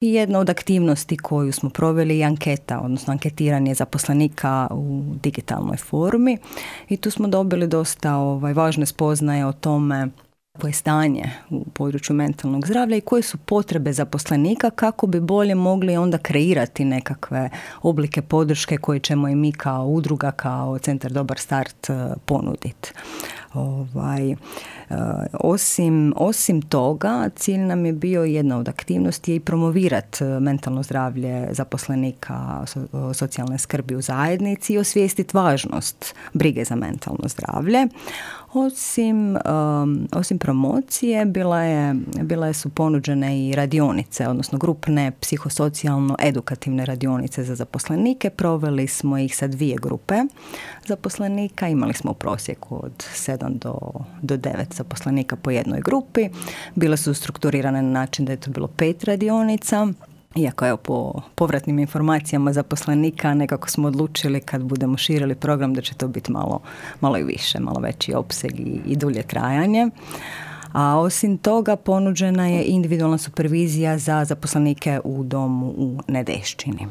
I jedna od aktivnosti koju smo proveli je anketa, odnosno anketiranje zaposlenika u digitalnoj formi i tu smo dobili dosta važne spoznaje o tome koje je stanje u području mentalnog zdravlja i koje su potrebe zaposlenika kako bi bolje mogli onda kreirati nekakve oblike podrške koje ćemo i mi kao udruga, kao Centar Dobar start ponuditi. Osim toga, cilj nam je bio jedna od aktivnosti i promovirati mentalno zdravlje zaposlenika socijalne skrbi u zajednici i osvijestiti važnost brige za mentalno zdravlje. Osim promocije, bile su ponuđene i radionice, odnosno grupne psihosocijalno-edukativne radionice za zaposlenike. Proveli smo ih sa 2 grupe zaposlenika. Imali smo u prosjeku od 7 do 9 zaposlenika po jednoj grupi. Bile su strukturirane na način da je to bilo 5 radionica. Iako evo po povratnim informacijama zaposlenika nekako smo odlučili kad budemo širili program da će to biti malo i više, malo veći opseg i dulje trajanje. A osim toga ponuđena je individualna supervizija za zaposlenike u domu u Nedešćini.